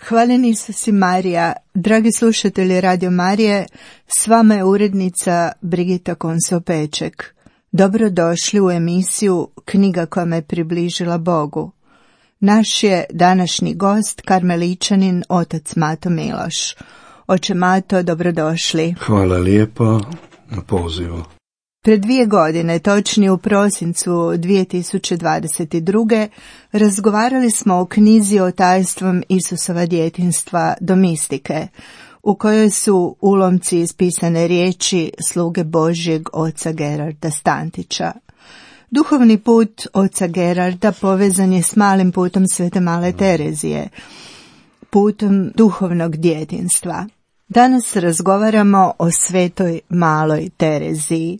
Hvaljen Isus i Marija, dragi slušatelji Radio Marije, s vama je urednica Brigita Konso-Peček. Dobrodošli u emisiju Knjiga koja me približila Bogu. Naš je današnji gost karmeličanin otac Mato Miloš. Oče Mato, dobrodošli. Hvala lijepo na pozivu. Pred 2 godine, točnije u prosincu 2022. razgovarali smo o knjizi o tajstvom Isusova djetinjstva do mistike, u kojoj su ulomci iz pisane riječi sluge Božjeg oca Gerarda Stantića. Duhovni put oca Gerarda povezan je s malim putom Svete Male Terezije, putom duhovnog djetinjstva. Danas razgovaramo o Svetoj Maloj Tereziji.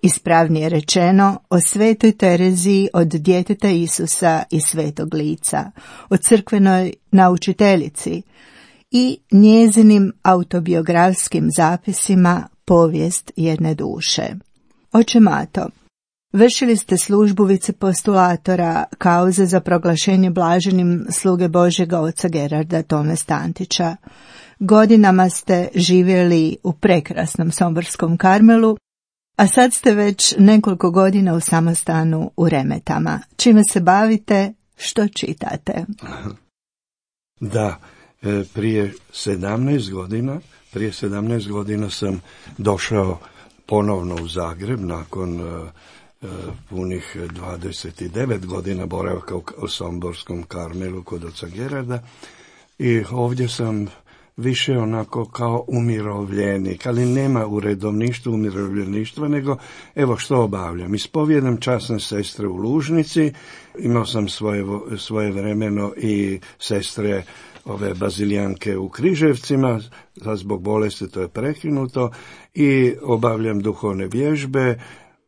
Ispravnije rečeno, o Svetoj Tereziji od djeteta Isusa i Svetog Lica, o crkvenoj naučiteljici i njezinim autobiografskim zapisima Povijest jedne duše. Oče Mato, vršili ste službu vicepostulatora kauze za proglašenje blaženim sluge Božjega oca Gerarda Tome Stantića. Godinama ste živjeli u prekrasnom somborskom Karmelu, a sad ste već nekoliko godina u samostanu u Remetama. Čime se bavite, što čitate? Da, prije 17 godina sam došao ponovno u Zagreb nakon punih 29 godina boravka u somborskom Karmelu kod oca Gerarda i ovdje sam više onako kao umirovljenik, ali nema u redovništvu umirovljeništva, nego evo što obavljam. Ispovijedam časne sestre u Lužnici, imao sam svoje vremeno i sestre ove bazilijanke u Križevcima, zbog bolesti to je prekinuto, i obavljam duhovne vježbe,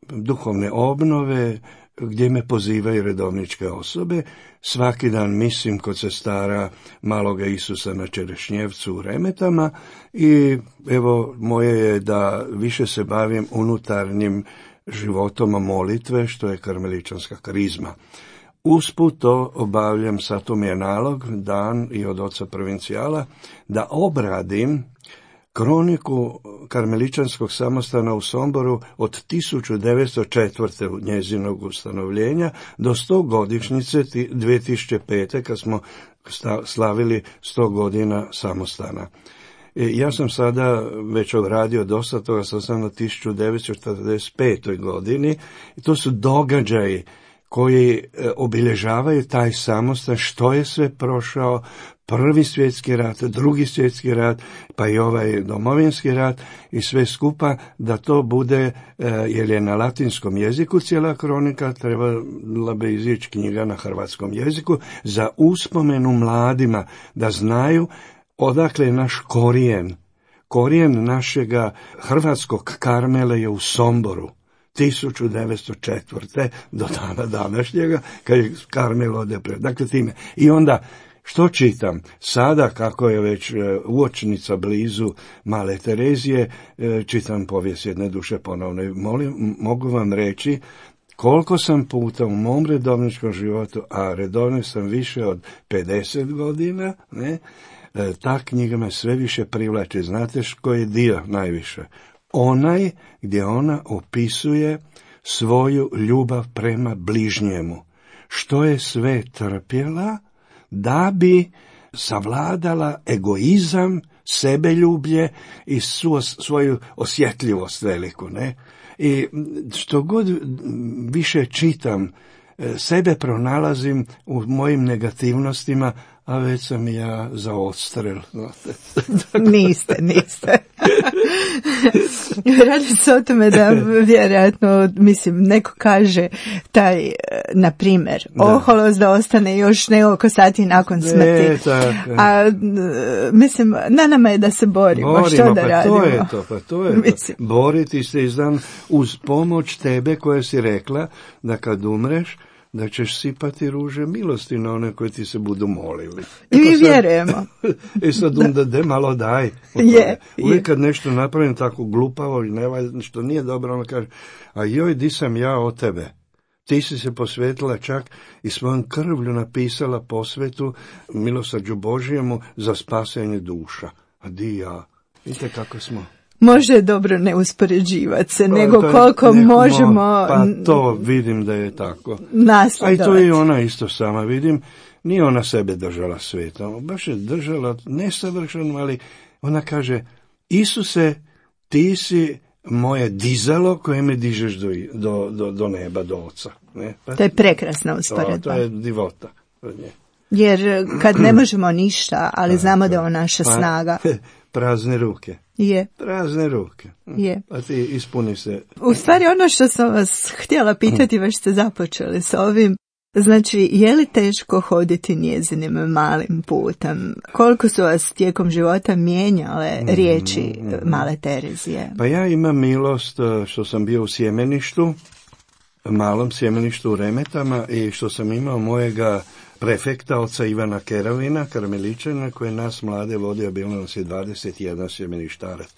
duhovne obnove, gdje me pozivaju redovničke osobe. Svaki dan mislim kod sestara Maloga Isusa na Čerešnjevcu u Remetama i evo moje je da više se bavim unutarnjim životom molitve, što je karmeličanska karizma. Usput to obavljam, sad to mi je nalog, dan i od oca provincijala, da obradim kroniku karmeličanskog samostana u Somboru od 1904. njezinog ustanovljenja do 100 godišnjice 2005. kad smo slavili 100 godina samostana. Ja sam sada već odradio dosta toga, sam na 1945. godini i to su događaji koji obilježavaju taj samostan, što je sve prošao, Prvi svjetski rat, Drugi svjetski rat, pa i ovaj domovinski rat i sve skupa, da to bude, jer je na latinskom jeziku cijela kronika, trebala bi izići knjiga na hrvatskom jeziku, za uspomenu mladima, da znaju odakle je naš korijen. Korijen našega hrvatskog Karmela je u Somboru. 1904. do dana današnjega, kad je Karmel ode pred. Dakle, time. I onda, što čitam? Sada, kako je već uočnica blizu Male Terezije, čitam Povijest jedne duše ponovno. Mogu vam reći koliko sam puta u mom redovničkom životu, a redovno sam više od 50 godina, ne, ta knjiga me sve više privlači. Znate koji je dio najviše? Onaj gdje ona opisuje svoju ljubav prema bližnjemu. Što je sve trpjela da bi savladala egoizam, sebeljublje i svoju osjetljivost veliku, ne? I što god više čitam, sebe pronalazim u mojim negativnostima, a već sam ja za odstrel. Niste. Radi se o tome da vjerojatno, mislim, neko kaže taj, na primjer, oholost da ostane još nekoliko sati nakon smrti. A mislim, na nama je da se borimo. Što da radimo? To je to. Boriti se uz pomoć tebe koja si rekla da kad umreš, da ćeš sipati ruže milosti na one koji ti se budu molili. I mi vjerujemo. I sad onda malo daj. Uvijek kad nešto napravim tako glupavo i što nije dobro, ono kaže, a joj, di sam ja od tebe? Ti si se posvetila čak i svojom krvlju napisala posvetu milosrđu Božjemu za spasenje duša. A di ja? Vidite kako smo. Može je dobro ne uspoređivati se, nego koliko možemo... Pa to vidim da je tako. Nasledovati. A i to je ona isto sama, vidim. Nije ona sebe držala svetom. Baš je držala nesavršeno, ali ona kaže, Isuse, ti si moje dizalo koje me dižeš do neba, do Oca. Ne? Pa, to je prekrasna usporedba. To je divota. Jer kad ne možemo ništa, ali znamo da je on naša snaga. Prazne ruke. Je. Prazne ruke. Je. A ti ispuni se. U stvari ono što sam vas htjela pitati, već ste započeli s ovim, znači, je li teško hoditi njezinim malim putem? Koliko su vas tijekom života mijenjale riječi male Terezije? Pa ja imam milost što sam bio u sjemeništu, malom sjemeništu u Remetama, i što sam imao mojega prefekta, oca Ivana Keravina, karmeličana, koji je nas mlade vodio, bilo nas je 21 sjemeništarac.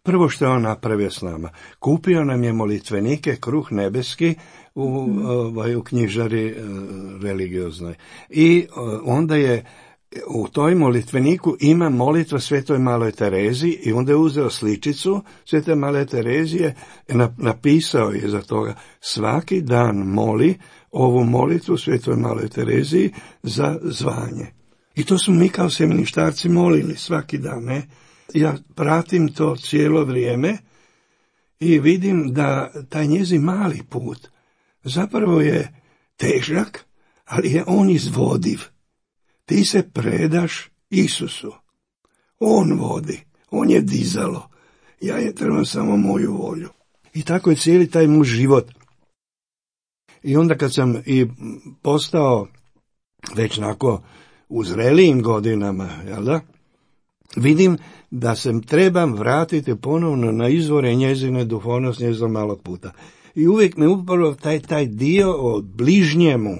Prvo što je on napravio s nama, kupio nam je molitvenike, kruh nebeski, u knjižari religioznoj. I onda je u toj molitveniku ima molitva Svetoj maloj Terezi, i onda je uzeo sličicu Svete male Terezije, napisao je za toga, svaki dan moli ovu molitvu Svetoj maloj Tereziji za zvanje. I to smo mi kao sjemeništarci molili svaki dan, ne? Ja pratim to cijelo vrijeme i vidim da taj njezin mali put zapravo je težak, ali je on izvodiv. Ti se predaš Isusu. On vodi, on je dizalo. Ja je trebam samo moju volju. I tako je cijeli taj muž život. I onda kad sam i postao već nako u zrelijim godinama, jel da, vidim da se trebam vratiti ponovno na izvore njezine duhovnosti, njezinog malog puta. I uvijek me upravo taj dio o bližnjemu,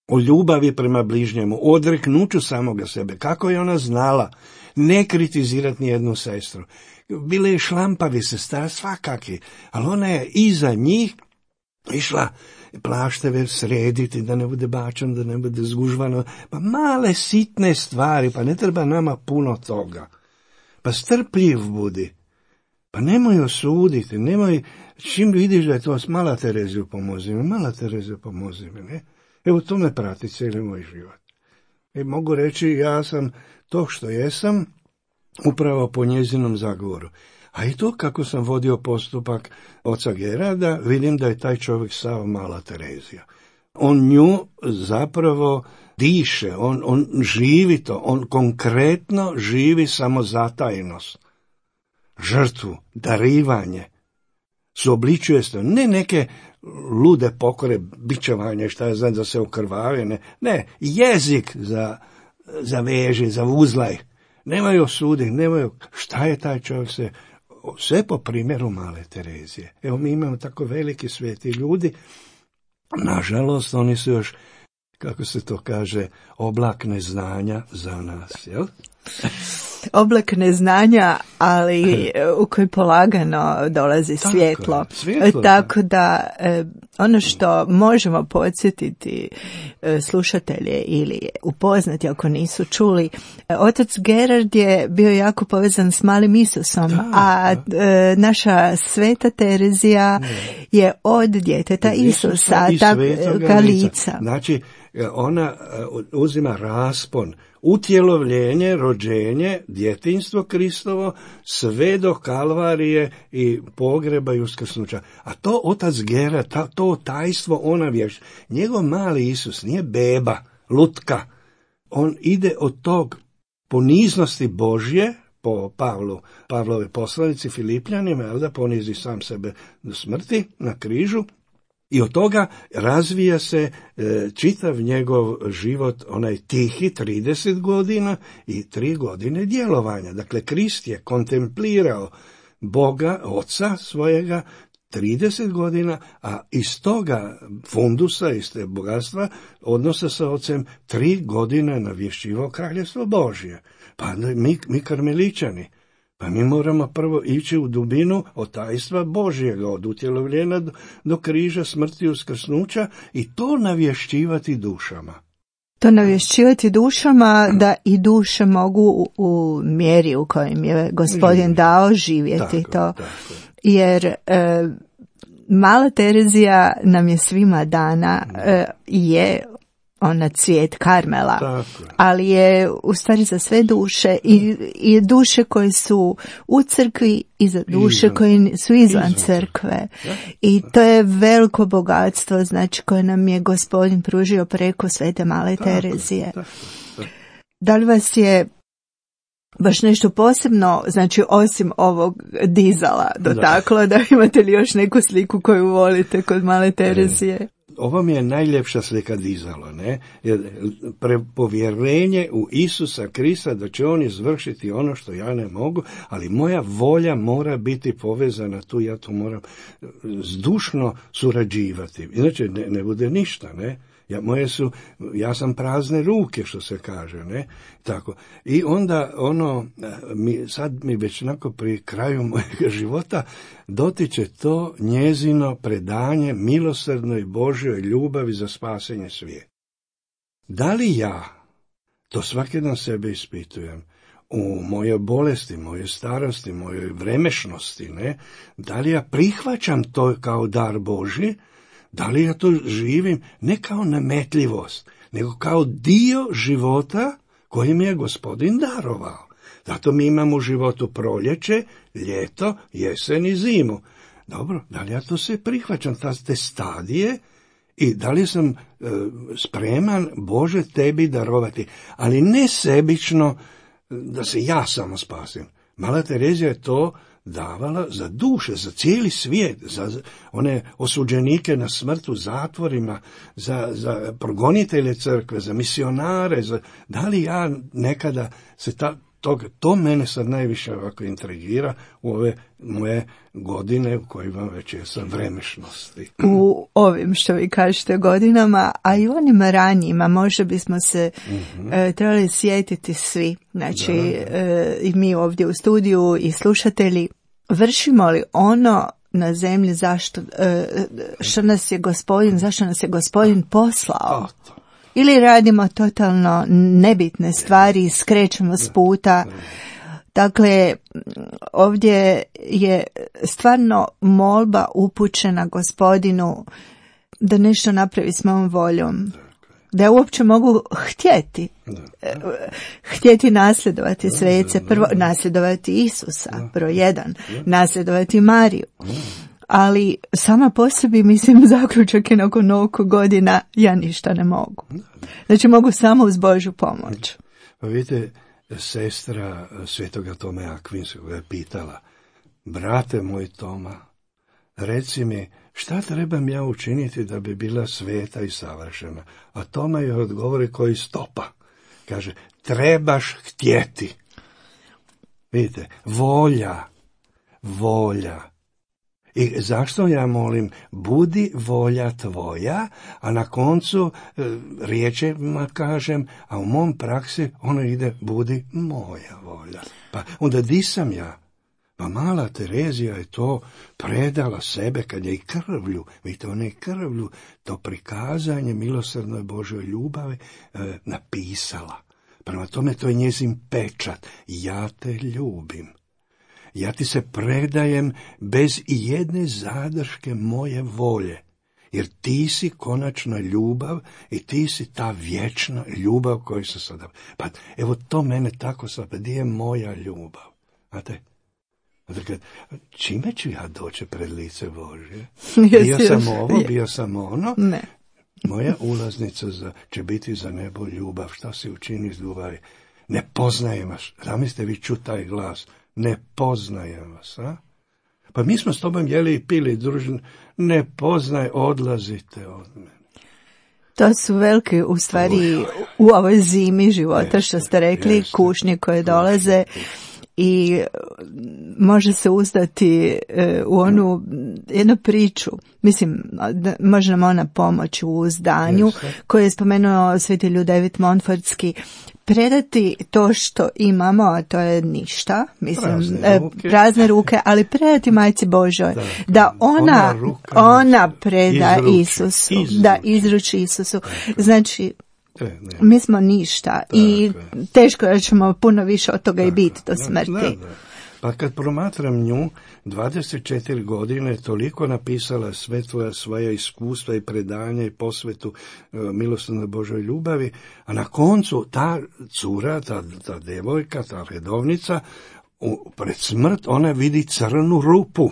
o ljubavi prema bližnjemu, o odreknuću samoga sebe, kako je ona znala ne kritizirati nijednu sestru. Bile je šlampavi sestra, svakaki, ali ona je iza njih išla plašteve srediti, da ne bude bačan, da ne bude zgužvano, pa male sitne stvari, pa ne treba nama puno toga. Pa strpljiv budi, pa nemoj osuditi, nemoj, čim vidiš da je to, mala Tereziju pomozi mi, mala Tereziju pomozi mi, ne? Evo to me prati cijeli moj život. I mogu reći, ja sam to što jesam, upravo po njezinom zagovoru. A i to kako sam vodio postupak oca Gerarda, vidim da je taj čovjek sav mala Terezija. On nju zapravo diše, on živi to, on konkretno živi samozatajnost, žrtvu, darivanje, suobličuje se, ne neke lude pokore, bičevanje, šta je znam, da se okrvave, ne, jezik za veži, za uzlaj, nemaju osudi, nemaju, šta je taj čovjek se, sve po primjeru male Terezije. Evo mi imamo tako veliki sveti ljudi, nažalost oni su još, kako se to kaže, oblak neznanja za nas, jel? Oblak neznanja, ali u koji polagano dolazi svjetlo. Tako da ono što možemo podsjetiti slušatelje ili upoznati ako nisu čuli, otac Gerard je bio jako povezan s malim Isusom, naša sveta Terezija je od djeteta Isusa, ta lica. Znači, ona uzima raspon, utjelovljenje, rođenje, djetinjstvo Kristovo, sve do Kalvarije i pogreba i uskrsnuća. A to otac Gerard, to tajstvo ona vješ. Njegov mali Isus nije beba, lutka. On ide od tog poniznosti Božje po Pavlove poslanici Filipljanima, jel da ponizi sam sebe do smrti na križu, i od toga razvija se čitav njegov život, onaj tihi 30 godina i 3 godine djelovanja. Dakle, Krist je kontemplirao Boga, Oca svojega, 30 godina, a iz toga fundusa, iz te bogatstva, odnosa sa Ocem, 3 godine navješćivao Kraljevstvo Božje. Pa mi karmeličani, pa mi moramo prvo ići u dubinu otajstva Božjega, od utjelovljenja do križa, smrti, uskrsnuća, i to navješćivati dušama. To navješćivati dušama, da i duše mogu u mjeri u kojem je Gospodin dao živjeti to. Tako. Jer Mala Terezija nam je svima dana, je ona cvijet Karmela, tako, ali je u stvari za sve duše, i duše koje su u crkvi i za duše koje su izvan crkve. I to je veliko bogatstvo, znači, koje nam je Gospodin pružio preko Svete Male Terezije. Tako. Da li vas je baš nešto posebno, znači osim ovog dizala, dotaklo, da imate li još neku sliku koju volite kod Male Terezije? Ovo mi je najljepša slika dizalo, ne? Povjerenje u Isusa Krista da će on izvršiti ono što ja ne mogu, ali moja volja mora biti povezana tu, ja to moram zdušno surađivati. Inače ne bude ništa, ne? Ja sam prazne ruke, što se kaže, ne? Tako. I onda sad mi već onako pri kraju mojega života dotiče to njezino predanje milosrdnoj Božjoj ljubavi za spasenje svijeta. Da li ja, to svaki dan sebe ispitujem, u mojoj bolesti, mojoj starosti, mojoj vremešnosti, ne? Da li ja prihvaćam to kao dar Božji? Da li ja to živim ne kao nametljivost, nego kao dio života koji mi je Gospodin darovao. Zato mi imamo u životu proljeće, ljeto, jesen i zimu. Dobro, da li ja to sve prihvaćam, te stadije, i da li sam spreman, Bože, tebi darovati, ali ne sebično da se ja samo spasim. Mala Terezija je to davala za duše, za cijeli svijet, za one osuđenike na smrt u zatvorima, za progonitelje crkve, za misionare. Da li ja nekada se to mene sad najviše ovako intrigira u ove moje godine u kojima već jesam vremešnosti. U ovim, što vi kažete, godinama, a i onim ranijima, možda bismo se trebali sjetiti svi, znači i mi ovdje u studiju i slušatelji, vršimo li ono na zemlji zašto nas je Gospodin poslao? Ili radimo totalno nebitne stvari i skrećemo s puta. Dakle, ovdje je stvarno molba upućena Gospodinu da nešto napravi s mojom voljom. Da ja uopće mogu htjeti nasljedovati svece, prvo nasljedovati Isusa, broj 1, nasljedovati Mariju. Ali sama po sebi, mislim, zaključak je nakon ovoliko godina, ja ništa ne mogu. Znači mogu samo uz Božju pomoć. Pa vidite, sestra Svetoga Tome Akvinskog je pitala: brate moj Toma, reci mi, šta trebam ja učiniti da bi bila sveta i savršena? A Toma je odgovori koji stopa. Kaže, trebaš htjeti. Vidite, volja. I zašto ja molim, budi volja tvoja, a na koncu riječima kažem, a u mom praksi ono ide, budi moja volja. Pa onda di sam ja? Pa Mala Terezija je to predala sebe kad je i krvlju, vidite, ona je krvlju, to prikazanje milosrdnoj Božoj ljubavi napisala. Prema tome to je njezin pečat. Ja te ljubim. Ja ti se predajem bez ijedne zadrške moje volje, jer ti si konačna ljubav i ti si ta vječna ljubav koju se sada... Pa evo to mene tako sad, di je moja ljubav? Znate? Dakle, čime ću ja doći pred lice Božje? Bio sam ono. Ne. Moja ulaznica će biti za nebo ljubav. Šta si učini s ljubavi? Ne poznajem vas. Zamislite vi čuti taj glas. Ne poznajem vas, a? Pa mi smo s tobom jeli i pili družno. Ne poznaj, odlazite od mene. To su velike, u stvari, u ovoj zimi života, što ste rekli, kušnje koje dolaze i može se uzdati u onu jednu priču. Mislim, može nam ona pomoći u uzdanju, koju je spomenuo sveti Ljudevit Montfortski. Predati to što imamo, a to je ništa, mislim, prazne ruke, ali predati Majci Božoj, da ona preda Isusu, da izruči Isusu. Znači, mi smo ništa i teško da ćemo puno više od toga i biti do smrti. Pa kad promatram nju, 24 godine toliko napisala sve svoja iskustva i predanja i posvetu milosrdnoj Božoj ljubavi, a na koncu ta cura, ta devojka, ta redovnica, pred smrt ona vidi crnu rupu.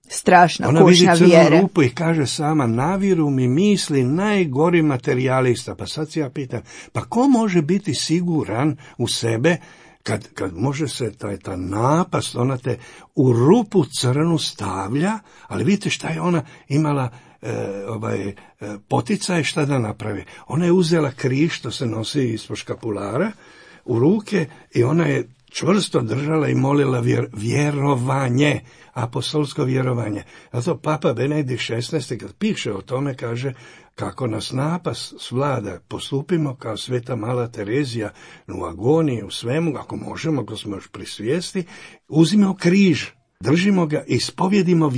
Strašna ona kušnja vidi crnu vjere. Rupu i kaže sama, naviru mi misli najgori materijalista. Pa sad se ja pitam, pa ko može biti siguran u sebe kad može se ta napast, ona te u rupu crnu stavlja, ali vidite šta je ona imala poticaj šta da napravi. Ona je uzela križ, što se nosi ispod škapulara, u ruke i ona je čvrsto držala i molila vjerovanje, apostolsko vjerovanje. Zato Papa Benedikt XVI kad piše o tome kaže kako nas napast svlada, postupimo kao sveta mala Terezija u agoniji, u svemu, ako možemo, ako smo još pri svijesti, uzmimo križ, držimo ga, ispovjedimo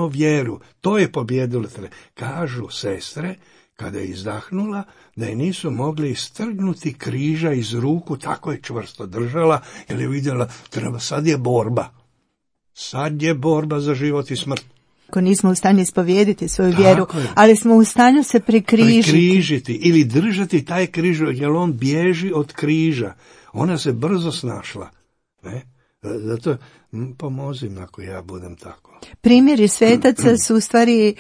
vjeru. To je pobjedilo. Kažu sestre, kada je izdahnula, da je nisu mogli istrgnuti križa iz ruku, tako je čvrsto držala, jer je vidjela, sad je borba. Sad je borba za život i smrt. Ako nismo u stanju ispovijediti svoju vjeru, ali smo u stanju se prikrižiti ili držati taj križ, jer on bježi od križa. Ona se brzo snašla. Ne? Zato pomozim ako ja budem tako. Primjeri svetaca su u stvari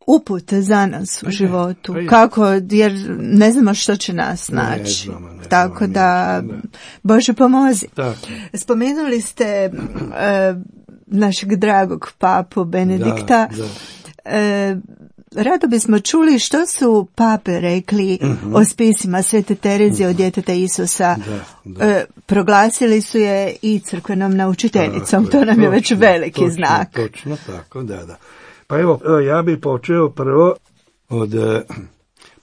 uput za nas u životu. Kako, jer ne znamo što će nas naći. Tako da, Bože pomozi. Spomenuli ste našeg dragog papu Benedikta. Rado bismo čuli što su pape rekli o spisima Svete Terezije od djeteta Isusa. Proglasili su je i crkvenom naučiteljicom. To nam je već veliki znak. Točno tako, da. Pa evo, ja bih počeo prvo od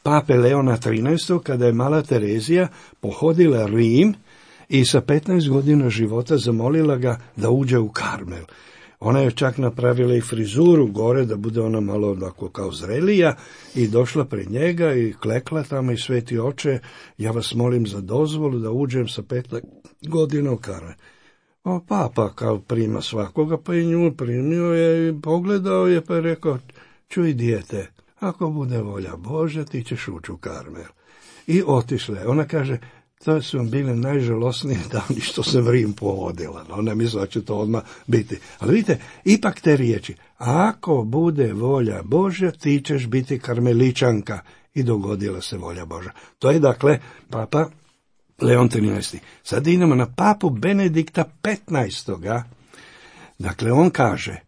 pape Leona XIII. Kada je mala Terezija pohodila Rim i sa 15 godina života zamolila ga da uđe u Karmel. Ona je čak napravila i frizuru gore, da bude ona malo onako kao zrelija, i došla pred njega i klekla tamo i sveti oče, ja vas molim za dozvolu da uđem sa 15 godina u Karmel. Papa kao prima svakoga, pa i nju primio je i pogledao je, pa je rekao, čuj dijete, ako bude volja Božja, ti ćeš ući u Karmel. I otišla je. Ona kaže, to su bile najžalosnije dani što se v Rim povodila. Ona misla da će to odmah biti. Ali vidite, ipak te riječi, ako bude volja Božja, ti ćeš biti karmeličanka. I dogodila se volja Božja. To je dakle papa Leon XIII. Sad idemo na papu Benedikta XV. Dakle, on kaže,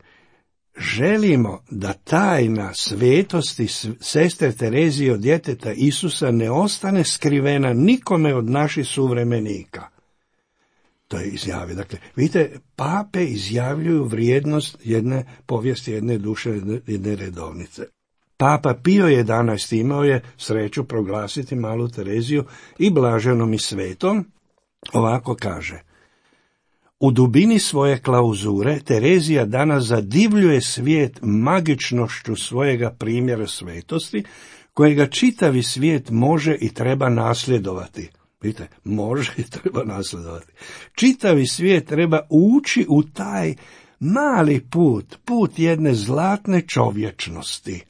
želimo da tajna svetosti sestre Terezije od djeteta Isusa ne ostane skrivena nikome od naših suvremenika. To je izjavio. Dakle, vidite, pape izjavljuju vrijednost jedne povijesti, jedne duše, jedne redovnice. Papa Pio XI imao je sreću proglasiti malu Tereziju i blaženom i svetom. Ovako kaže, u dubini svoje klauzure Terezija danas zadivljuje svijet magičnošću svojega primjera svetosti, kojega čitavi svijet može i treba nasljedovati. Vidite, može i treba nasljedovati. Čitavi svijet treba ući u taj mali put jedne zlatne čovječnosti.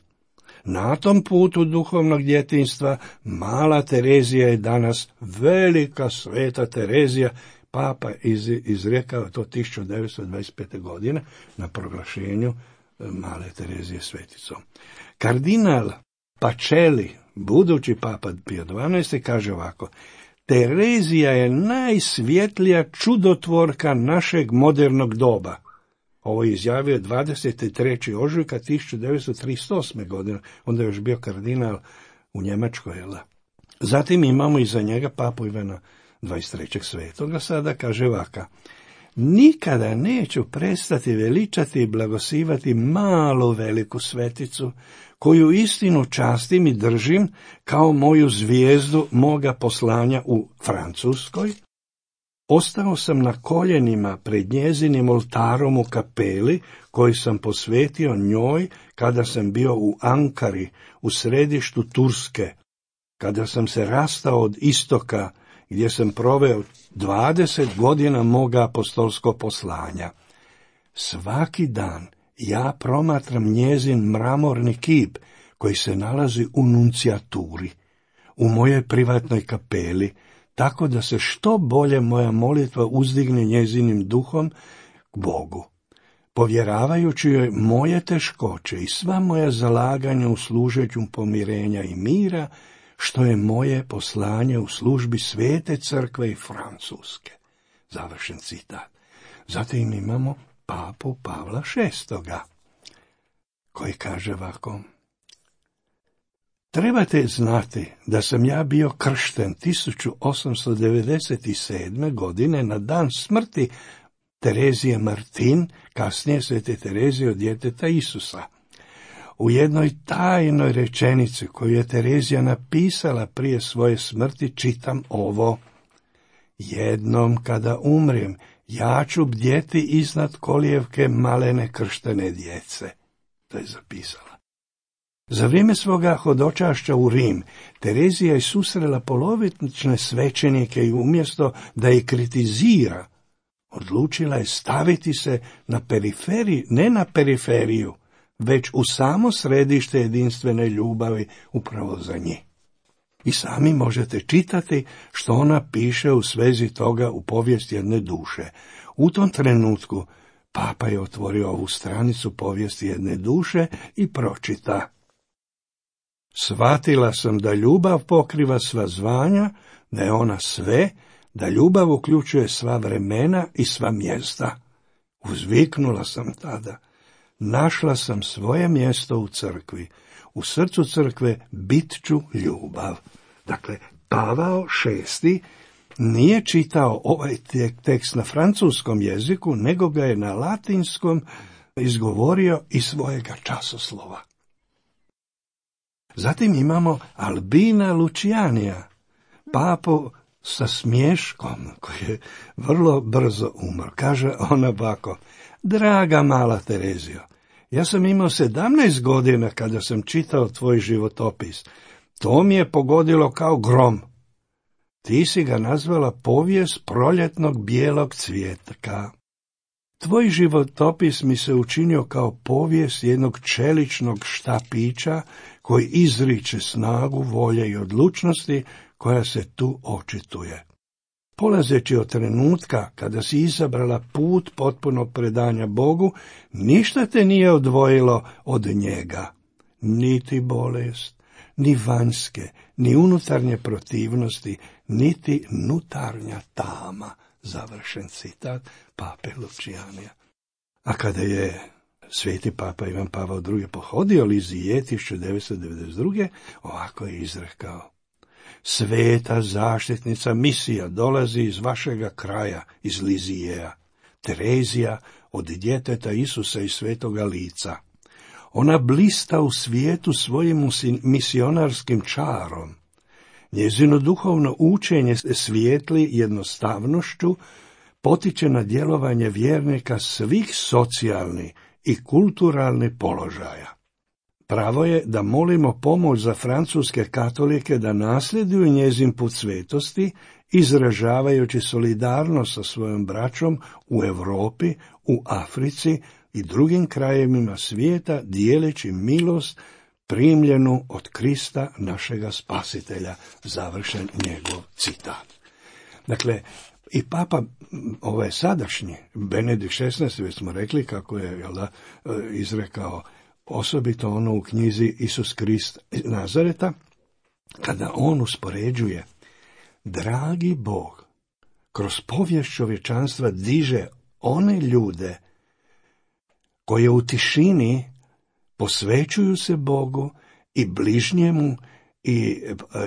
Na tom putu duhovnog djetinjstva mala Terezija je danas velika sveta Terezija. Papa izrekao to 1925. godine na proglašenju male Terezije sveticom. Kardinal Pacelli, budući papa Pio XII, kaže ovako, Terezija je najsvjetlija čudotvorka našeg modernog doba. Ovo je izjavio 23. ožujka 1938. godine, onda je još bio kardinal u Njemačkoj. Zatim imamo iza njega papu Ivana 23. svetoga, sada kaže ovaka: nikada neću prestati veličati i blagosivati malu veliku sveticu, koju istinu častim i držim kao moju zvijezdu moga poslanja u Francuskoj. Ostao sam na koljenima pred njezinim oltarom u kapeli, koji sam posvetio njoj kada sam bio u Ankari, u središtu Turske, kada sam se rastao od istoka, gdje sam proveo 20 godina moga apostolskog poslanja. Svaki dan ja promatram njezin mramorni kip, koji se nalazi u nuncijaturi, u mojoj privatnoj kapeli, tako da se što bolje moja molitva uzdigne njezinim duhom k Bogu, povjeravajući joj moje teškoće i sva moja zalaganja u služenju pomirenja i mira, što je moje poslanje u službi Svete crkve i Francuske. Završen citat. Zatim imamo papu Pavla VI, koji kaže ovako: trebate znati da sam ja bio kršten 1897. godine na dan smrti Terezije Martin, kasnije Svete Terezije od djeteta Isusa. U jednoj tajnoj rečenici koju je Terezija napisala prije svoje smrti čitam ovo: jednom kada umrem, ja ću bdjeti iznad kolijevke malene krštene djece. To je zapisala. Za vrijeme svoga hodočašća u Rim, Terezija je susrela polovične svećenike i umjesto da ih kritizira, odlučila je staviti se na periferiju, ne na periferiju, već u samo središte jedinstvene ljubavi upravo za njih. I sami možete čitati što ona piše u svezi toga u povijesti jedne duše. U tom trenutku papa je otvorio ovu stranicu povijesti jedne duše i pročita: shvatila sam da ljubav pokriva sva zvanja, da je ona sve, da ljubav uključuje sva vremena i sva mjesta. Uzviknula sam tada: našla sam svoje mjesto u crkvi. U srcu crkve bit ću ljubav. Dakle, Pavao VI nije čitao ovaj tekst na francuskom jeziku, nego ga je na latinskom izgovorio iz svojega časoslova. Zatim imamo Albina Lucianija, papu sa smješkom, koji je vrlo brzo umro. Kaže ona ovako: draga mala Terezio, ja sam imao 17 godina kada sam čitao tvoj životopis. To mi je pogodilo kao grom. Ti si ga nazvala povijest proljetnog bijelog cvijetka. Tvoj životopis mi se učinio kao povijest jednog čeličnog štapića koji izriče snagu, volje i odlučnosti koja se tu očituje. Polazeći od trenutka kada si izabrala put potpunog predanja Bogu, ništa te nije odvojilo od njega. Niti bolest, ni vanjske, ni unutarnje protivnosti, niti nutarnja tama. Završen citat pape Lucianija. A kada je sveti papa Ivan Pavao II. Pohodio Lizije 1992. ovako je izrekao: sveta zaštitnica misija dolazi iz vašega kraja, iz Lizijeja, Terezija od djeteta Isusa i svetoga lica. Ona blista u svijetu svojim misionarskim čarom. Njezino duhovno učenje svijetli jednostavnošću, potiče na djelovanje vjernika svih socijalnih i kulturalnih položaja. Pravo je da molimo pomoć za francuske katolike da nasljeduju njezin put svetosti, izražavajući solidarnost sa svojom braćom u Europi, u Africi i drugim krajevima svijeta, dijeleći milost primljenu od Krista našega spasitelja. Završen njegov citat. Dakle, i papa ovaj sadašnji, Benedikt XVI, već smo rekli kako je izrekao osobito ono u knjizi Isus Krist Nazareta, kada on uspoređuje dragi Bog kroz povijest čovječanstva diže one ljude koje u tišini posvećuju se Bogu i bližnjemu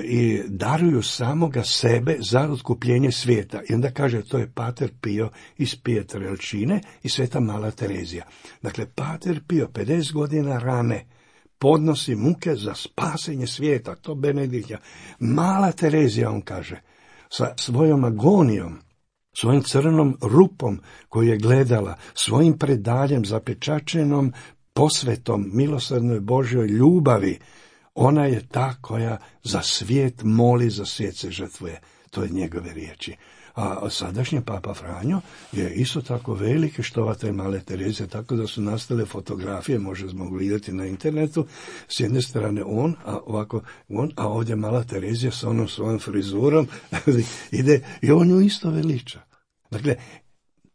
i daruju samoga sebe za otkupljenje svijeta. I onda kaže, to je Pater Pio iz Pietrelcine i Sveta Mala Terezija. Dakle, Pater Pio 50 godina rane podnosi muke za spasenje svijeta, to Benedikta. Mala Terezija, on kaže, sa svojom agonijom, svojim crnom rupom koju je gledala, svojim predaljem zapečačenom posvetom milosrdnoj Božjoj ljubavi, ona je ta koja za svijet moli, za svijet se žrtvuje. To je njegove riječi. A sadašnji Papa Franjo je isto tako veliki štovatelj Male Terezije, tako da su nastale fotografije, možemo gledati na internetu, s jedne strane on, a ovdje Mala Terezija s onom svojom frizurom ide i on ju isto veliča. Dakle,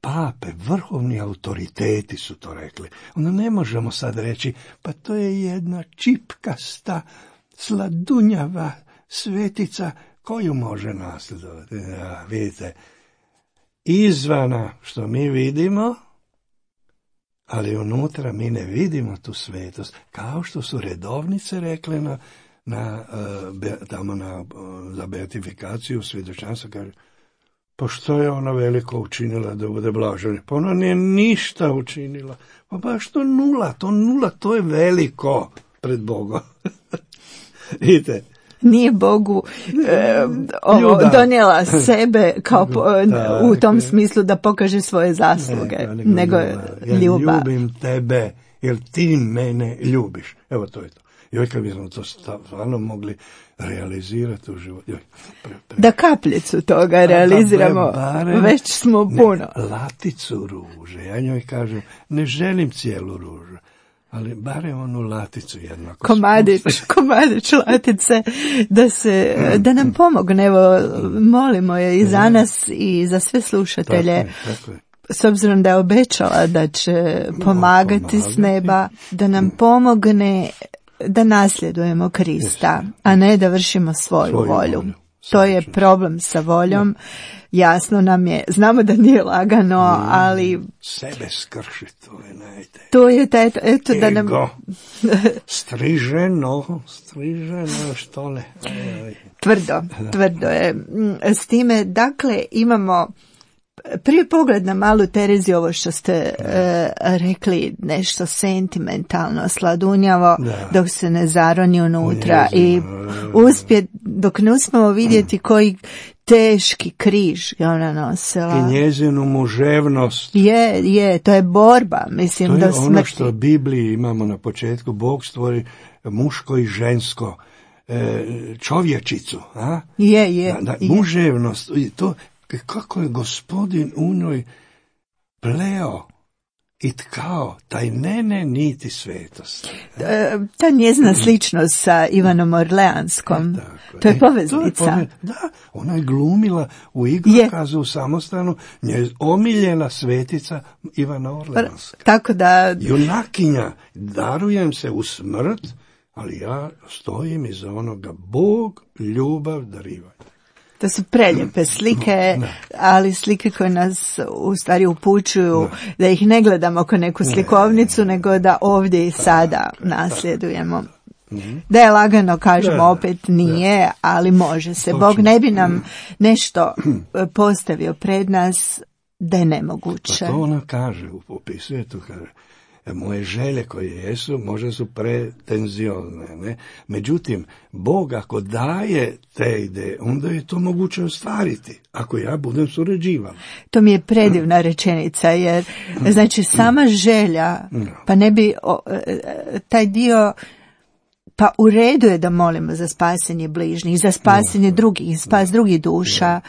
pape, vrhovni autoriteti su to rekli. Onda ne možemo sad reći, pa to je jedna čipkasta, sladunjava svetica koju može nasljedovati. Ja, vidite, izvana što mi vidimo, ali unutra mi ne vidimo tu svetost. Kao što su redovnice rekle za beatifikaciju svjedočanstva, kaže, pa što je ona veliko učinila da bude blažena? Pa ona nije ništa učinila. Pa baš to nula, to je veliko pred Bogom. Vidite. Nije Bogu donijela sebe kao u tom smislu da pokaže svoje zasluge, nego ljubav. Ja ljubim tebe jer ti mene ljubiš. Evo to je to. Joj, kad bismo to stvarno mogli realizirati u životu. Da kapljicu toga realiziramo, već smo puno. Laticu ruže. Ja njoj kažem, ne želim cijelu ružu, ali barem onu laticu jednako. Komadić latice, da nam pomogne. Evo, molimo je i za nas i za sve slušatelje. Tako je. S obzirom da je obećala da će pomagati s neba, da nam pomogne da nasljedujemo Krista, a ne da vršimo svoju volju. To je problem sa voljom. Jasno nam je, znamo da nije lagano, ali sebe skrši, to je najte. To je taj, eto da nam striženo, što ne. Tvrdo je. S time, dakle, imamo prije pogled na Malu Tereziju, ovo što ste rekli, nešto sentimentalno, sladunjavo, dok se ne zaroni unutra i dok ne uspemo vidjeti koji teški križ je ona nosila. I njezinu muževnost. Je, to je borba, mislim, do smrti. To je ono što u Bibliji imamo na početku, Bog stvori muško i žensko, čovječicu. A? Je. Muževnost, to kako je Gospodin u njoj pleo i tkao taj niti svetost. Ta njezina sličnost sa Ivanom Orleanskom, to je poveznica. Ona je glumila u igrokazu u Samostanu, omiljena svetica Ivana Orleanska. Tako da junakinja, darujem se u smrt, ali ja stojim iza onoga, Bog ljubav dariva. To su prelijepe slike, ali slike koje nas u stvari upućuju da ih ne gledamo kao neku slikovnicu, nego da ovdje i sada nasljedujemo. Da je lagano, kažemo, opet nije, ali može se. Bog ne bi nam nešto postavio pred nas da je nemoguće. Pa to ona kaže, opisuje to, kaže, moje želje koje jesu, možda su pretenziozne, ne? Međutim, Bog ako daje te ideje, onda je to moguće ostvariti, ako ja budem surađivan. To mi je predivna rečenica, jer znači sama želja, pa ne bi taj dio, pa u redu je da molimo za spasenje bližnjih, za spasenje drugih, spas drugih duša,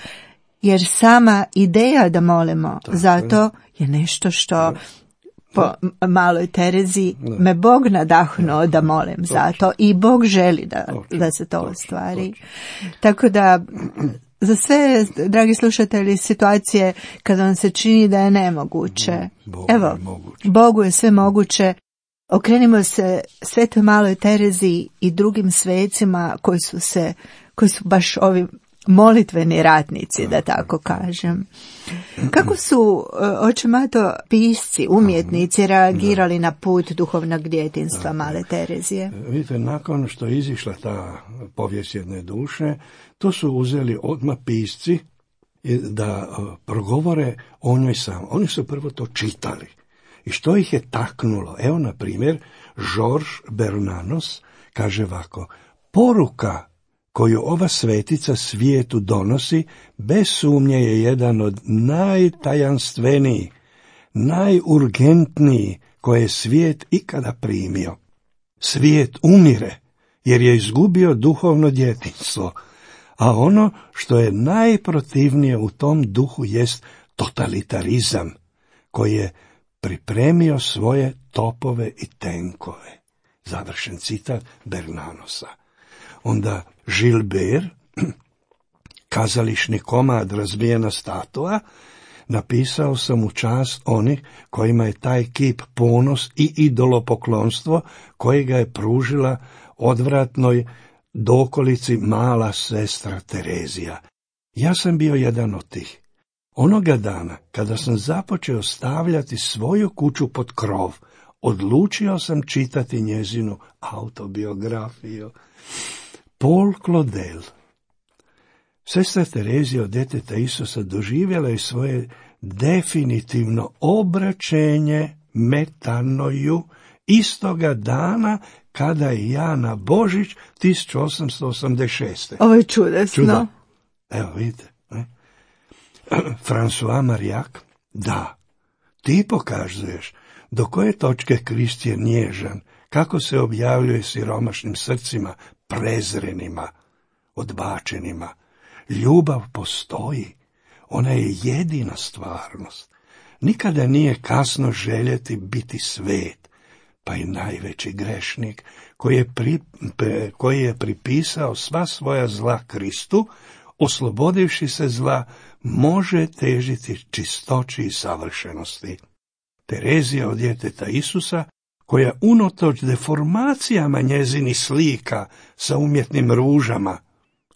jer sama ideja da molimo zato je nešto što po Maloj Terezi me Bog nadahnuo da molim zato i Bog želi da se to ostvari. Tako da za sve, dragi slušatelji, situacije kada vam se čini da je nemoguće, Bogu je sve moguće. Okrenimo se Svetoj Maloj Terezi i drugim svecima koji su baš ovim molitveni ratnici, da tako kažem. Kako su, oče Mato, pisci, umjetnici reagirali na put duhovnog djetinjstva male Terezije? Vidite, nakon što je izišla ta povijest jedne duše, to su uzeli odmah pisci da progovore o njoj sam. Oni su prvo to čitali. I što ih je taknulo? Evo, na primjer, Georges Bernanos kaže ovako: poruka koju ova svetica svijetu donosi, bez sumnje je jedan od najtajanstvenijih, najurgentniji koje je svijet ikada primio. Svijet umire, jer je izgubio duhovno djetinjstvo, a ono što je najprotivnije u tom duhu jest totalitarizam, koji je pripremio svoje topove i tenkove. Završen citat Bernanosa. Onda Gilbert, kazališni komad Razbijena statua, napisao sam u čast onih kojima je taj kip ponos i idolopoklonstvo kojega je pružila odvratnoj dokolici mala sestra Terezija. Ja sam bio jedan od tih. Onoga dana, kada sam započeo stavljati svoju kuću pod krov, odlučio sam čitati njezinu autobiografiju. Paul Claudel. Sestra Terezija od djeteta Isusa doživjela je svoje definitivno obraćenje metanoju istoga dana kada je ja na Božić 1886. Ovo je čudesno. Čuda. Evo, vidite. François Marillac, da, ti pokazuješ do koje točke Krist je nježan, kako se objavljuje siromašnim srcima, prezrenima, odbačenima. Ljubav postoji, ona je jedina stvarnost. Nikada nije kasno željeti biti svet, pa i najveći grešnik koji je pripisao sva svoja zla Kristu, oslobodivši se zla, može težiti čistoći i savršenosti. Terezija od djeteta Isusa, koja unatoč deformacijama njezinih slika sa umjetnim ružama,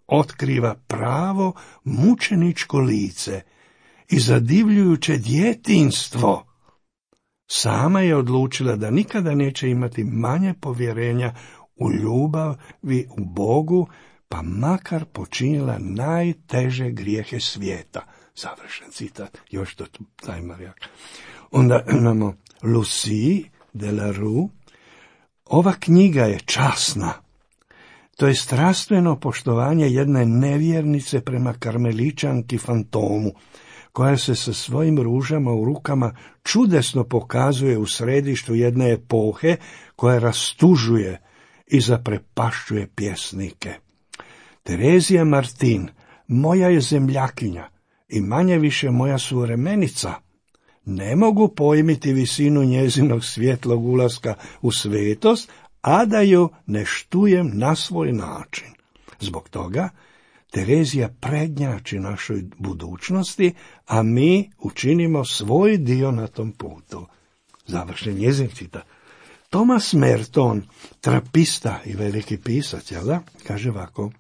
otkriva pravo mučeničko lice i zadivljujuće djetinjstvo, sama je odlučila da nikada neće imati manje povjerenja u ljubavi u Bogu, pa makar počinila najteže grijehe svijeta. Završen citat, još to taj Marillac. Onda imamo Lucie de la Rue. Ova knjiga je časna. To je strastveno poštovanje jedne nevjernice prema karmeličanki Fantomu, koja se sa svojim ružama u rukama čudesno pokazuje u središtu jedne epohe koja rastužuje i zaprepašćuje pjesnike. Terezija Martin, moja je zemljakinja i manje više moja suvremenica. Ne mogu pojmiti visinu njezinog svjetlog ulaska u svetost, a da ju ne štujem na svoj način. Zbog toga Terezija prednjači našoj budućnosti, a mi učinimo svoj dio na tom putu. Završen njezin citat. Thomas Merton, trapista i veliki pisac, jel da? Kaže ovako: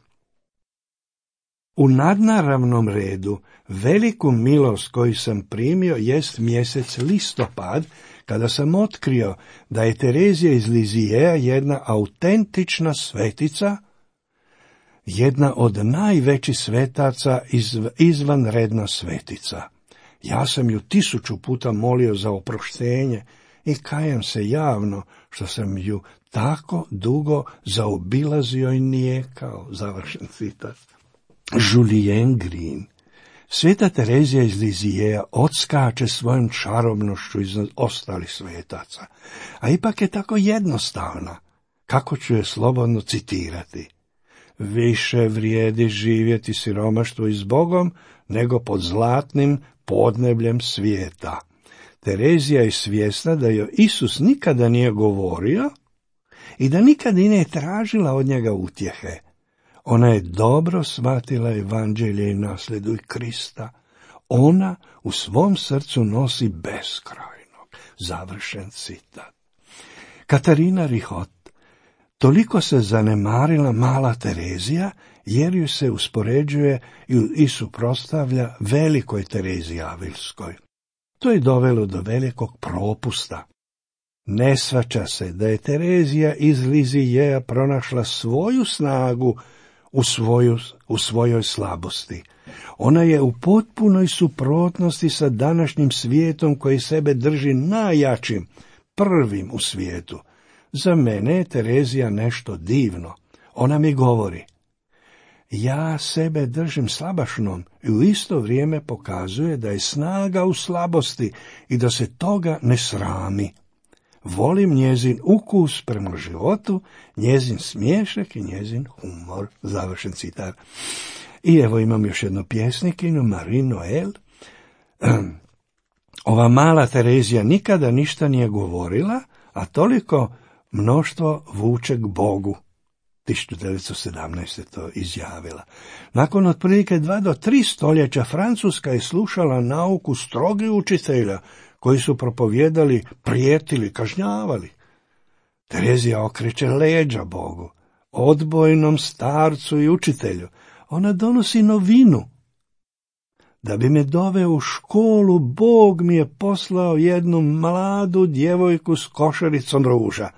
u nadnaravnom redu veliku milost koju sam primio jest mjesec listopad, kada sam otkrio da je Terezija iz Lisieuxa jedna autentična svetica, jedna od najvećih svetaca, izvanredna svetica. Ja sam ju 1000 puta molio za oproštenje i kajem se javno što sam ju tako dugo zaobilazio i nijekao. Završen citat. Julien Green. Sveta Terezija iz Lisieuxa odskače svojom čarobnošću iznad ostalih svetaca, a ipak je tako jednostavna, kako ću je slobodno citirati. Više vrijedi živjeti siromaštvo i s Bogom, nego pod zlatnim podnebljem svijeta. Terezija je svjesna da joj Isus nikada nije govorio i da nikada i nije tražila od njega utjehe. Ona je dobro shvatila evanđelje i nasljeduj Krista. Ona u svom srcu nosi beskrajnog. Završen citat. Katarina Rihot. Toliko se zanemarila mala Terezija jer ju se uspoređuje i suprotstavlja velikoj Tereziji Avilskoj. To je dovelo do velikog propusta. Ne shvaća se da je Terezija iz Lizijeja pronašla svoju snagu u svojoj slabosti. Ona je u potpunoj suprotnosti sa današnjim svijetom koji sebe drži najjačim, prvim u svijetu. Za mene je Terezija nešto divno. Ona mi govori: ja sebe držim slabašnom, i u isto vrijeme pokazuje da je snaga u slabosti i da se toga ne srami. Volim njezin ukus prema životu, njezin smiješak i njezin humor. Završen citat. I evo imam još jednu pjesnikinju, Marie Noël. Ova mala Terezija nikada ništa nije govorila, a toliko mnoštvo vuče k Bogu. 1917. to izjavila. Nakon otprilike 2 do 3 stoljeća Francuska je slušala nauku strogih učitelja koji su propovijedali, prijetili, kažnjavali. Terezija okreće leđa Bogu, odbojnom starcu i učitelju. Ona donosi novinu. Da bi me doveo u školu, Bog mi je poslao jednu mladu djevojku s košaricom ruža.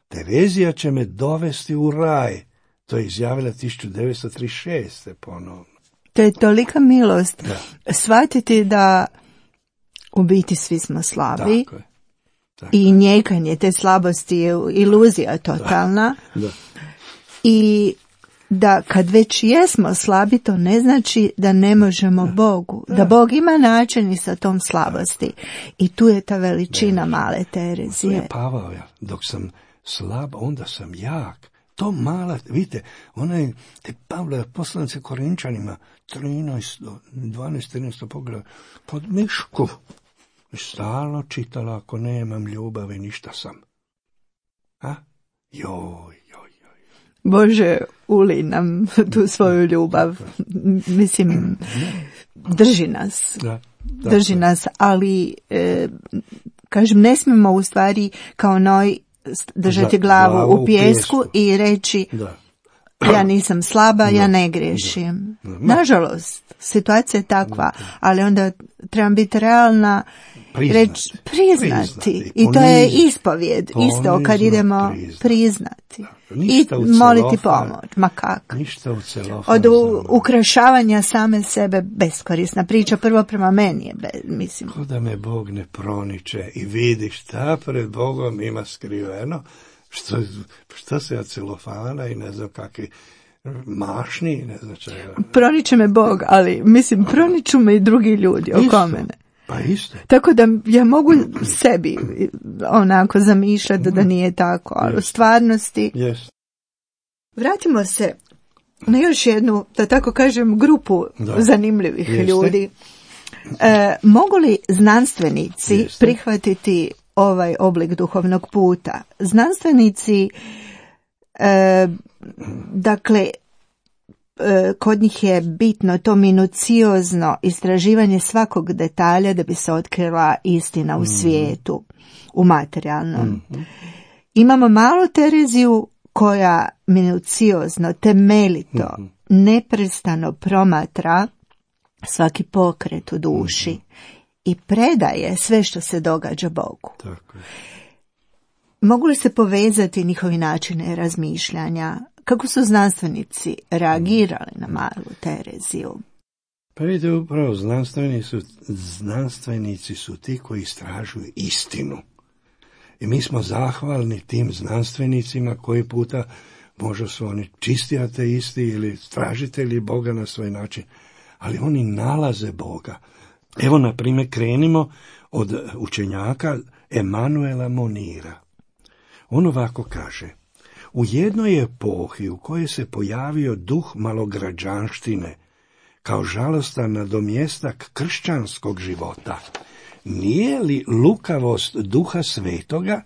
Terezija će me dovesti u raj. To je izjavila 1936. ponovno. To je tolika milost. Da. Shvatiti da u biti svi smo slabi. Tako je. I njekanje te slabosti je iluzija totalna. Da. I da kad već jesmo slabi, to ne znači da ne možemo Bogu. Da Bog ima način i sa tom slabosti. I tu je ta veličina male Terezije. To je Pavao, dok sam slab, onda sam jak. To mala, vidite, ona je, te Pavle poslanice Korinčanima, 12-13 pogleda, pod mišku. Stalno čitala, ako nemam ljubavi, ništa sam. A? Joj. Bože, uli nam tu svoju ljubav. Mislim, drži nas. Drži nas, ali, kažem, ne smijemo u stvari kao Noj držati glavu u pijesku i reći ja nisam slaba, ja ne griješim. Nažalost, situacija je takva, ali onda trebam biti realna, priznati. I to je ispovjed, isto kad idemo priznati. I moliti pomoć, ma kako. Od ukrašavanja same sebe beskorisna priča, prvo prema meni je, mislim. Ko da me Bog ne proniče i vidi šta pred Bogom ima skriveno, što se od celofana i ne znam kakvi mašni, ne znam čega. Proniče me Bog, ali mislim proniču me i drugi ljudi oko mene. Pa isto. Tako da ja mogu sebi onako zamišljati da nije tako, ali u stvarnosti. Vratimo se na još jednu, da tako kažem, grupu zanimljivih ljudi. Mogu li znanstvenici prihvatiti ovaj oblik duhovnog puta? Znanstvenici, dakle, kod njih je bitno to minuciozno istraživanje svakog detalja da bi se otkrila istina u svijetu, u materijalnom. Imamo malu Tereziju koja minuciozno, temeljito, neprestano promatra svaki pokret u duši i predaje sve što se događa Bogu. Tako je. Mogu li se povezati njihovi načine razmišljanja? Kako su znanstvenici reagirali na malu Tereziju? Pa vidite, upravo znanstvenici su ti koji istražuju istinu. I mi smo zahvalni tim znanstvenicima koji puta možda su oni čisti ateisti ili tražitelji Boga na svoj način, ali oni nalaze Boga. Evo, na primjer, krenimo od učenjaka Emanuela Monira. On ovako kaže: u jednoj epohi u kojoj se pojavio duh malograđanštine kao žalostan nadomjestak kršćanskog života, nije li lukavost duha svetoga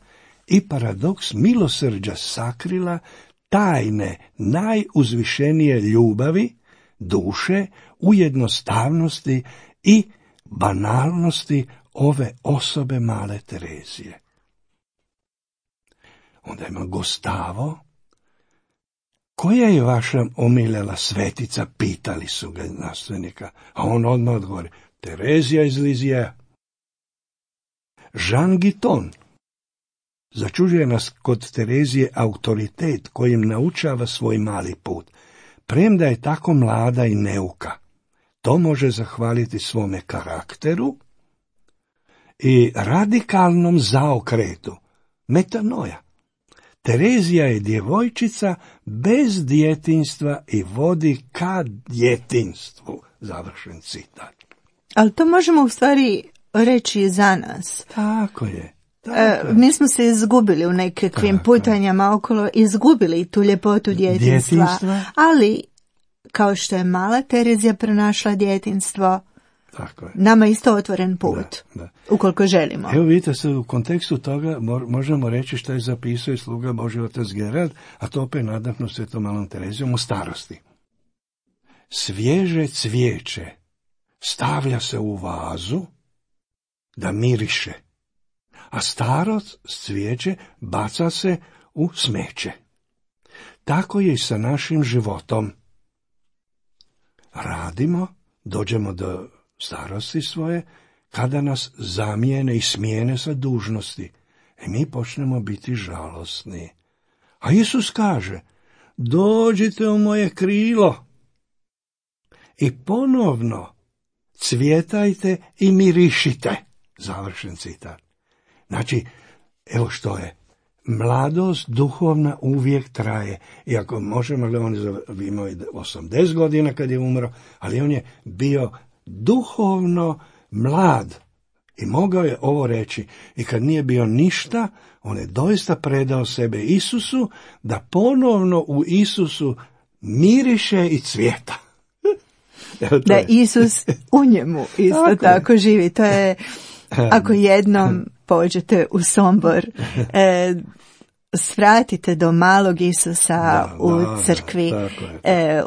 i paradoks milosrđa sakrila tajne najuzvišenije ljubavi duše u jednostavnosti i banalnosti ove osobe male Terezije? Onda ima Gustavo, koja je vaša omiljena svetica, pitali su ga znanstvenika, a on odmah odgovori, Terezija iz Lizija. Jean Guiton. Začuđuje nas kod Terezije autoritet kojim naučava svoj mali put, premda je tako mlada i neuka. To može zahvaliti svome karakteru i radikalnom zaokretu, metanoja. Terezija je djevojčica bez djetinjstva i vodi ka djetinjstvu. Završen citat. Ali to možemo u stvari reći i za nas. Tako je. Mi smo se izgubili u nekakvim putanjama okolo, izgubili tu ljepotu djetinjstva. Ali, kao što je mala Terezija pronašla djetinjstvo, tako je. Nama je isto otvoren put, da. Ukoliko želimo. Evo vidite se, u kontekstu toga možemo reći što je zapisao i sluga Božji otac Gerard, a to opet nadahnu Svetom malom Terezijom u starosti. Svježe cvijeće stavlja se u vazu da miriše, a staro cvijeće baca se u smeće. Tako je i sa našim životom. Radimo, dođemo do starosti svoje, kada nas zamijene i smijene sa dužnosti, mi počnemo biti žalosni. A Isus kaže, dođite u moje krilo i ponovno cvjetajte i mirišite. Završen citat. Znači, evo što je. Mladost duhovna uvijek traje. Iako možemo li on imao 80 godina kad je umro, ali on je bio duhovno mlad i mogao je ovo reći. I kad nije bio ništa, on je doista predao sebe Isusu, da ponovno u Isusu miriše i cvjeta. Da Isus u njemu isto tako živi. To je, ako jednom pođete u Sombor, svratite do malog Isusa u crkvi,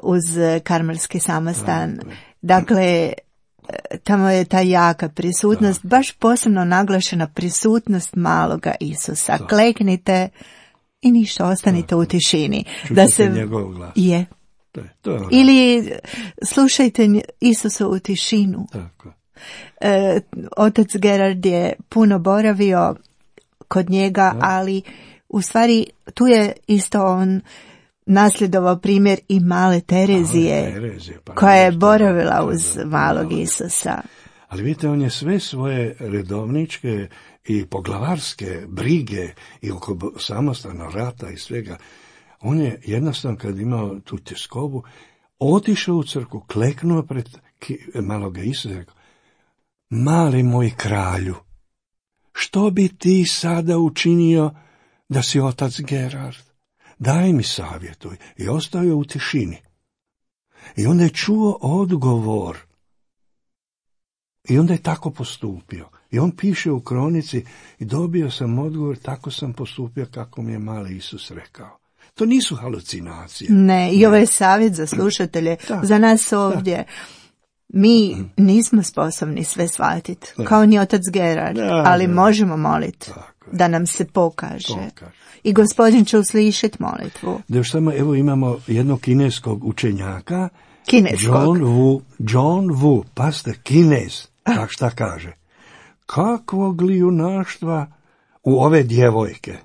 uz karmelski samostan. Dakle, tamo je ta jaka prisutnost, baš posebno naglašena prisutnost maloga Isusa. Kleknite i ništa, ostanite u tišini. Da se njegov glas. Je. Ili slušajte Isusa u tišinu. Tako. Otac Gerard je puno boravio kod njega, ali u stvari tu je isto on nasljedovao primjer i male Terezije, koja je boravila uz malog Isusa. Ali vidite, on je sve svoje redovničke i poglavarske brige i oko samostana rata i svega, on je jednostavno kad imao tu tjeskobu, otišao u crkvu, kleknuo pred maloga Isusa i rekao, mali moj kralju, što bi ti sada učinio da si otac Gerard? Daj mi savjetuj. I ostao je u tišini. I onda je čuo odgovor. I onda je tako postupio. I on piše u kronici, i dobio sam odgovor, tako sam postupio kako mi je mali Isus rekao. To nisu halucinacije. Ne, i ovo je savjet za slušatelje, za nas ovdje. Mi nismo sposobni sve shvatiti, kao ni otac Gerard, ali možemo moliti da nam se pokaže. I Gospodin će uslišiti molitvu. Da još samo, evo imamo jednog kineskog učenjaka, John Wu, pazite, Kinez, tak šta kaže. Kakvog li junaštva u ove djevojke?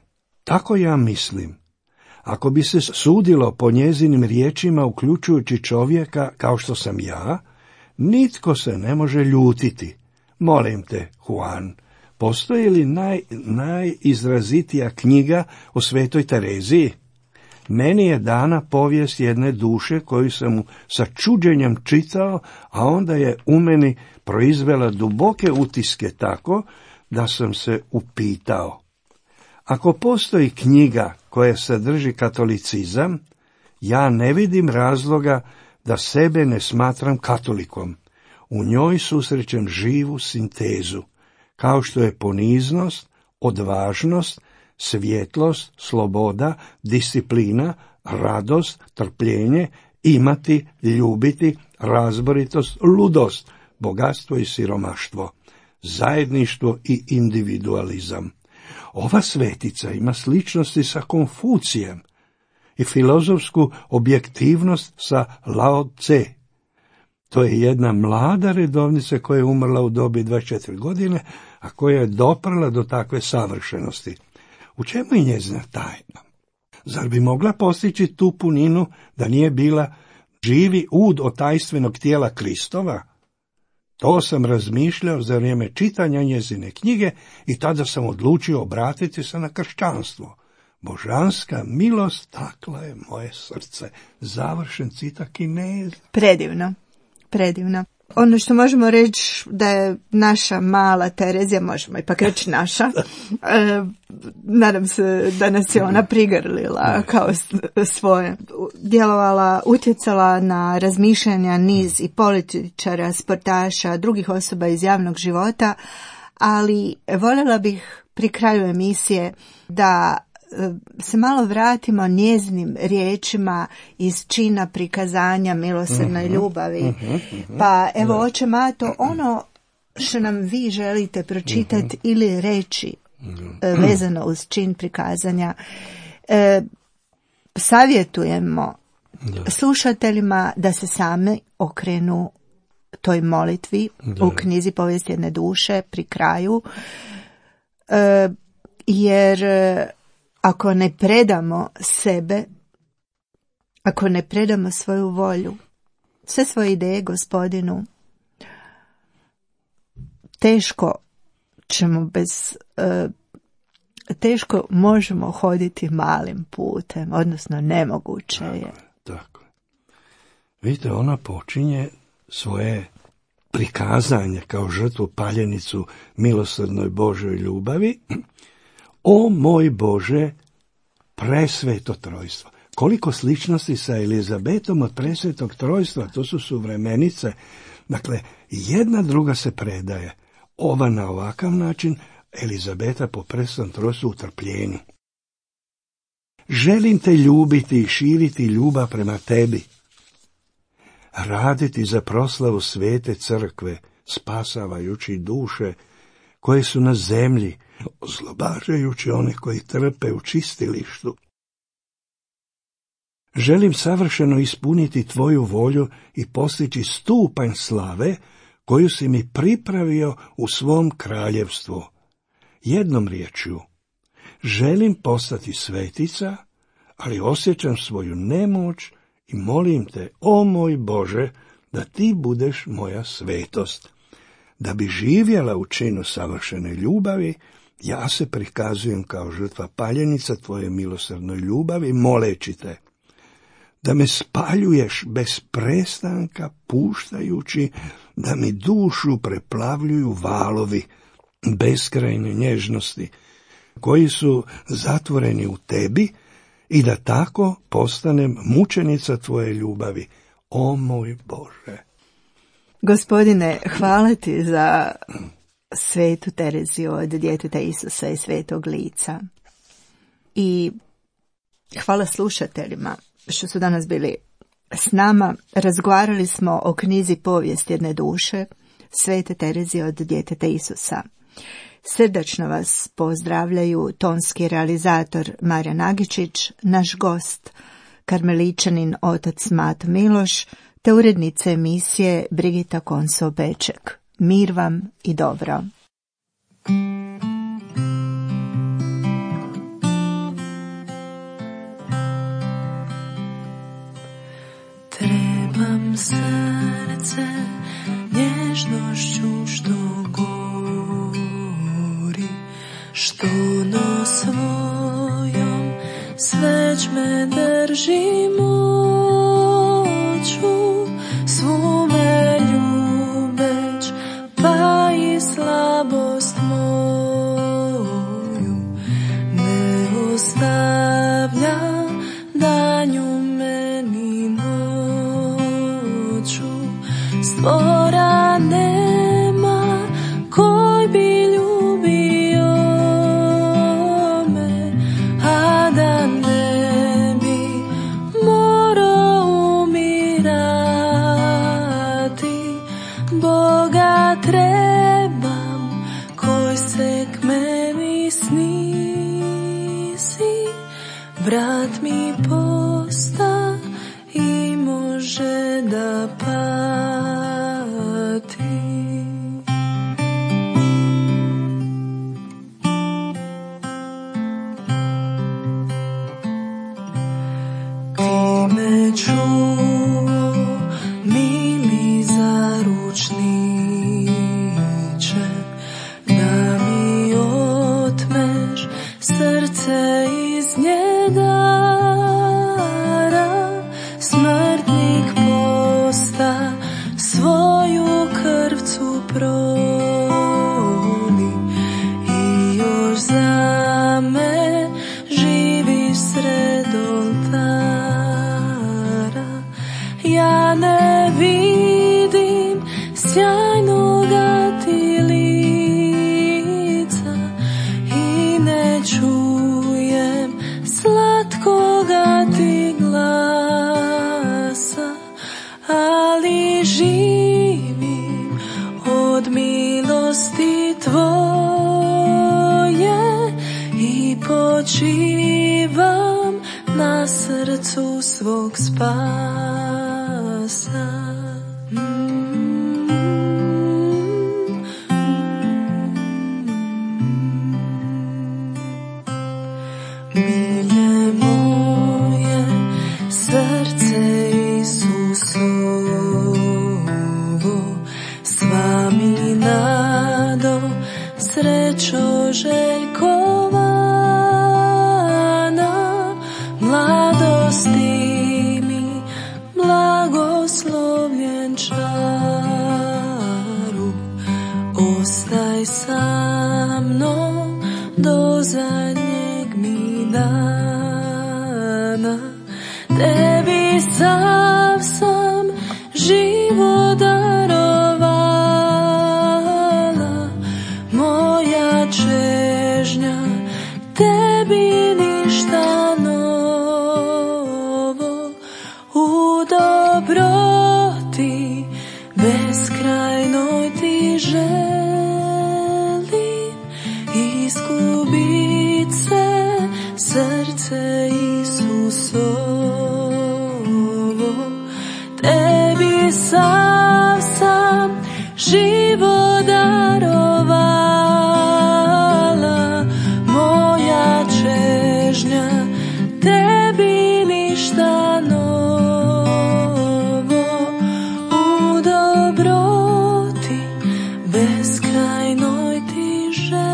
Tako ja mislim. Ako bi se sudilo po njezinim riječima, uključujući čovjeka kao što sam ja, nitko se ne može ljutiti. Molim te, Juan, postoji li najizrazitija knjiga o svetoj Tereziji? Meni je dana povijest jedne duše koju sam sa čuđenjem čitao, a onda je u meni proizvela duboke utiske tako da sam se upitao. Ako postoji knjiga koja sadrži katolicizam, ja ne vidim razloga da sebe ne smatram katolikom. U njoj susrećem živu sintezu, kao što je poniznost, odvažnost, svjetlost, sloboda, disciplina, radost, trpljenje, imati, ljubiti, razboritost, ludost, bogatstvo i siromaštvo, zajedništvo i individualizam. Ova svetica ima sličnosti sa Konfucijem i filozofsku objektivnost sa Lao Tse. To je jedna mlada redovnica koja je umrla u dobi 24 godine, a koja je doprla do takve savršenosti. U čemu je njezina tajna? Zar bi mogla postići tu puninu da nije bila živi ud od tajstvenog tijela Kristova? To sam razmišljao za vrijeme čitanja njezine knjige i tada sam odlučio obratiti se na kršćanstvo. Božanska milost takla je moje srce. Završen citat Kineza. Predivno, predivno. Ono što možemo reći da je naša mala Terezija, možemo ipak reći naša, nadam se da nas je ona prigrlila kao svoje, djelovala, utjecala na razmišljanja niz i političara, sportaša, drugih osoba iz javnog života, ali voljela bih pri kraju emisije da se malo vratimo njezinim riječima iz čina prikazanja milosrdnoj ljubavi. Pa evo, oče Mato, ono što nam vi želite pročitati ili reći vezano uz čin prikazanja, savjetujemo slušateljima da se sami okrenu toj molitvi u knjizi Povijest jedne duše pri kraju, jer ako ne predamo sebe, ako ne predamo svoju volju, sve svoje ideje Gospodinu, teško možemo hoditi malim putem, odnosno nemoguće je. Tako. Vidite, ona počinje svoje prikazanje kao žrtvu paljenicu milosrdnoj Božoj ljubavi. O moj Bože, presveto trojstvo. Koliko sličnosti sa Elizabetom od presvetog trojstva, to su suvremenice. Dakle, jedna druga se predaje. Ova na ovakav način, Elizabeta po presvetom trojstvu u trpljenju. Želim te ljubiti i širiti ljubav prema tebi. Raditi za proslavu svete crkve, spasavajući duše koje su na zemlji, oslobađajući one koji trpe u čistilištu. Želim savršeno ispuniti tvoju volju i postići stupanj slave koju si mi pripravio u svom kraljevstvu. Jednom riječju, želim postati svetica, ali osjećam svoju nemoć i molim te, o moj Bože, da ti budeš moja svetost. Da bi živjela u činu savršene ljubavi, ja se prikazujem kao žrtva paljenica tvoje milosrdnoj ljubavi, moleći te da me spaljuješ bez prestanka, puštajući da mi dušu preplavljuju valovi beskrajne nježnosti, koji su zatvoreni u tebi, i da tako postanem mučenica tvoje ljubavi, o moj Bože. Gospodine, hvala ti za svetu Tereziju od djeteta Isusa i svetog lica. I hvala slušateljima što su danas bili s nama. Razgovarali smo o knjizi Povijest jedne duše, svete Terezije od djeteta Isusa. Srdačno vas pozdravljaju tonski realizator Marija Nagičić, naš gost, karmeličanin otac Mato Miloš, te urednica emisije Brigita Konso-Beček. Mir vam i dobro. Trebam srce nježnošću što gori, što no svojom sveć me drži moću, svu me ljubeć, pa i slabost moju ne ostavlja danju meni noću. Stvora nema koji bi ljubio me, a da ne bi morao umirati. Boga trebam koji se k meni snisi, vrat mi srce iz nje dara, smrtnik posta, svoju krvcu proli i još za me živi sred oltara. Ja ne vidim sjajnoga ti lica i ne čujem slatkoga ti glasa, ali živim od milosti tvoje i počivam na srcu svog spasa. Milje moje, srce Isusovo, sva mi nado, srećo željkovana, mladosti mi blagoslovljen čaru, ostaj sa mnom do zadnjeg mi dana. Tebi sav sam život darovala, moja čežnja, tebi ništa novo. U dobroti beskrajnoj ti želim izgubit se, srce Isusovo. Tebi sav sam život darovala, moja čežnja, tebi ništa novo. U dobroti beskrajnoj ti želim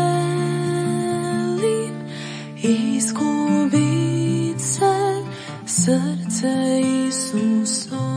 izgubit se, srce Isusovo.